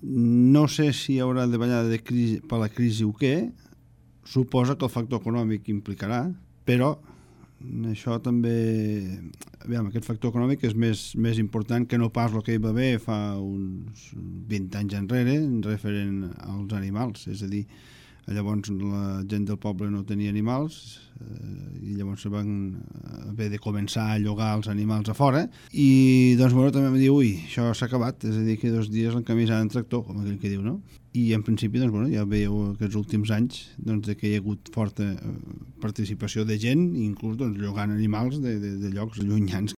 No sé si hi haurà davallada de crisi, per la crisi o què, suposa que el factor econòmic implicarà, però això també... Aviam, aquest factor econòmic és més important que no pas el que hi va haver fa uns 20 anys enrere referent als animals, és a dir, llavors la gent del poble no tenia animals i llavors se van haver de començar a llogar els animals a fora i doncs bueno, també em diu, ui, això s'ha acabat, és a dir, que 2 dies l'encamisar en tractor, com aquell que diu, no? I en principi doncs, bueno, ja veieu aquests últims anys doncs, que hi ha hagut forta participació de gent, inclús doncs, llogant animals de llocs llunyans